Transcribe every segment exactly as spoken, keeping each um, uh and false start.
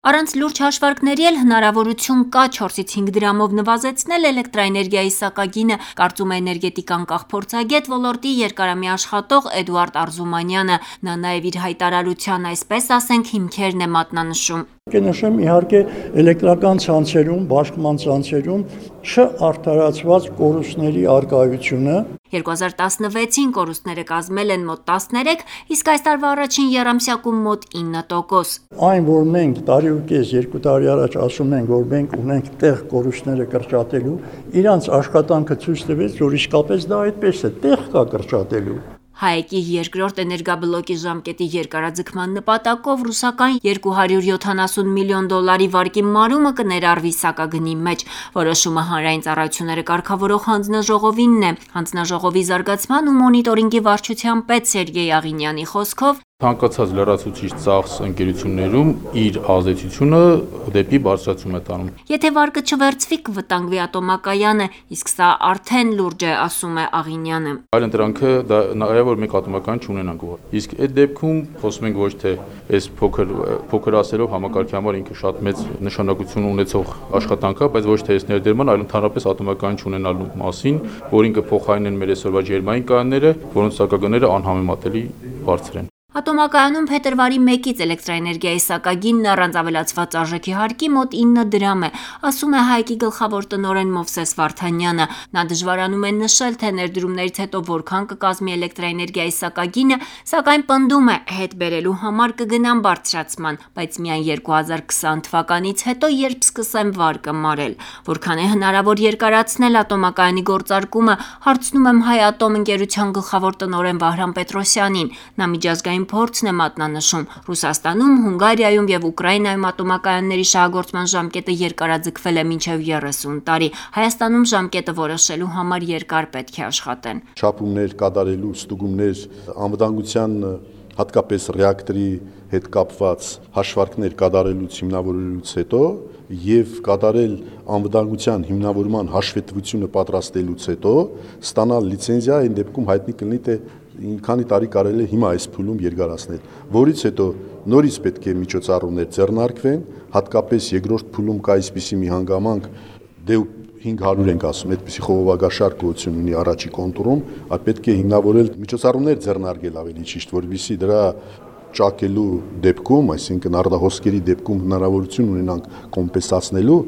Առանց լուրջ հաշվարկների էլ հնարավորություն կա չորսից հինգ դրամով նվազեցնել էլեկտրաէներգիայի սակագինը, կարծում է էներգետիկ անկախ փորձագետ, ոլորտի երկարամյա աշխատող Էդուարդ Արզումանյանը: Նա նաև իր հայտարարության, այսպես ասենք, հիմքերն է մատնանշում: Կնշեմ իհարկե էլեկտրական ցանցերում, բաշխման ցանցերում չարդարացված կորուստների առկայությունը: երկու հազար տասնվեցին կորուստները կազմել են մոտ տասներեք, իսկ այս տարվա առաջին եռամսյակում մոտ ինը տոկոս: Այն, որ մենք տարի ու կես, երկու տարի առաջ ասում ենք, որ մենք ունենք տեղ կորուստները կրճատելու, իրանց աշխատանքը ցույց տվեց, որ իսկապես դա այդպես է, տեղ կա կրճատելու: ՀԱԷԿ-ի երկրորդ էներգաբլոկի ժամկետի երկարաձգման նպատակով ռուսական երկու հարյուր յոթանասուն միլիոն դոլարի վարկի մարումը կներառվի սակագնի մեջ: Որոշումը Հանրային ծառայությունները կարգավորող հանձնաժողովինն է: Հանձնաժողովի զարգացման ու մոնիտորինգի վարչության պետ Սերգեյ Աղինյանի խոսքով. Ցանկացած լրացուցիչ ծախս ընկերություններում իր ազդեցությունը դեպի բարձրացում է տանում: Եթե վարկը չվերցվի, կվտանգվի ատոմակայանը, իսկ սա արդեն լուրջ է, ասում է Աղինյանը: Այլընտրանքը դա նաև որ մենք ատոմակայան չունենանք, իսկ այդ դեպքում խոսում ենք ոչ թե այս փոքր փոքր ասելով համակարգի համար ինքը շատ մեծ նշանակություն ունեցող աշխատանք է, բայց ոչ թե այս ներդրման, այլ ընդհանրապես ատոմակայան չունենալու մասին, որին կփոխարինեն մեր այսօրվա ջերմային կայանները, որոնց սակագները անհամեմատելի բարձր են: Ատոմակայանում փետրվարի մեկից էլեկտրաէներգիայի սակագինն առանց ավելացված արժեքի հարկի մոտ ինը դրամ է, ասում է ՀԱԷԿ-ի գլխավոր տնօրեն Մովսես Վարդանյանը: Նա դժվարանում է նշել, թե ներդրումներից հետո որքան կկազմի էլեկտրաէներգիայի սակագինը, սակայն պնդում է, հետ բերելու համար կգնան բարձրացման, բայց միայն երկու հազար քսան թվականից հետո, երբ սկսեն վարկը մարել: Որքան է հնարավոր երկարացնել ատոմակայանի գործարկումը, հարցնում եմ Հայատոմ ընկերության գլխավոր տնօրեն Վահրամ Պետրոսյանին: Նա միջազգային փորձն է մատնանշում: Ռուսաստանում, Հունգարիայում և Ուկրաինայում ատոմակայանների շահագործման ժամկետը երկարաձգվել է մինչև երեսուն տարի: Հայաստանում ժամկետը որոշելու համար երկար պետք է աշխատեն: Չափումներ կատարելու, ստուգումներ, անվտանգության, հատկապես ռեակտորի հետ կապված հաշվարկներ կատարելուց հիմնավորելուց հետո և կատարել անվտանգության հիմնավորման հաշվետվությունը պատրաստելուց հետո ստանալ լիցենզիա, այն դեպքում հայտնի կլինի, թե քանի տարի կարելի է հիմա այս փուլում երկարացնել, որից հետո նորից պետք է միջոցառումներ ձեռնարկվեն, հատկապես երկրորդ փուլում կա այսպիսի մի հանգամանք, դե հինգ հարյուր ենք ասում, այդպիսի խողովակաշարք գոյություն ունի առաջի կոնտուրում, պետք է հիմնավորել միջոցառումներ ձեռնարկել ավելի ճիշտ, որպեսզի դրա ճակելու դեպքում, այսինքն առնահոսքերի դեպքում հնարավորություն ունենանք կոմպենսացնելու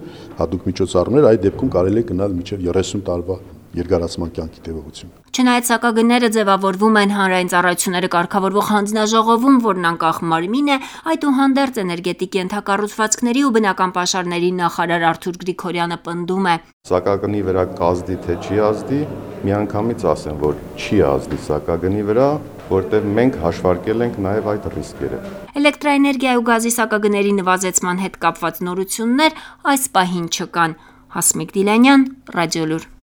հատուկ միջոցառումներ, այդ դեպքում կարելի է գնալ մինչև երեսուն տարվա երկարացման կյանքի տևողություն: Չնայած սակագները ձևավորվում են Հանրային ծառայությունները կարգավորող հանձնաժողովում, որն անկախ մարմին է, այդուհանդերձ էներգետիկ ենթակառուցվածքների ու բնական պաշարների նախարար Արթուր Գրիգորյանը պնդում է. Սակագնի վրա կազդի թե չի ազդի, միանգամից ասեմ, որ չի ազդի սակագնի վրա, որտեղ մենք հաշվարկել ենք նաև այդ ռիսկերը: Էլեկտրաէներգիայի ու գազի սակագների նվազեցման հետ կապված նորություններ այս պահին չկան: Հասմիկ Դիլանյան, Ռադիոլուր: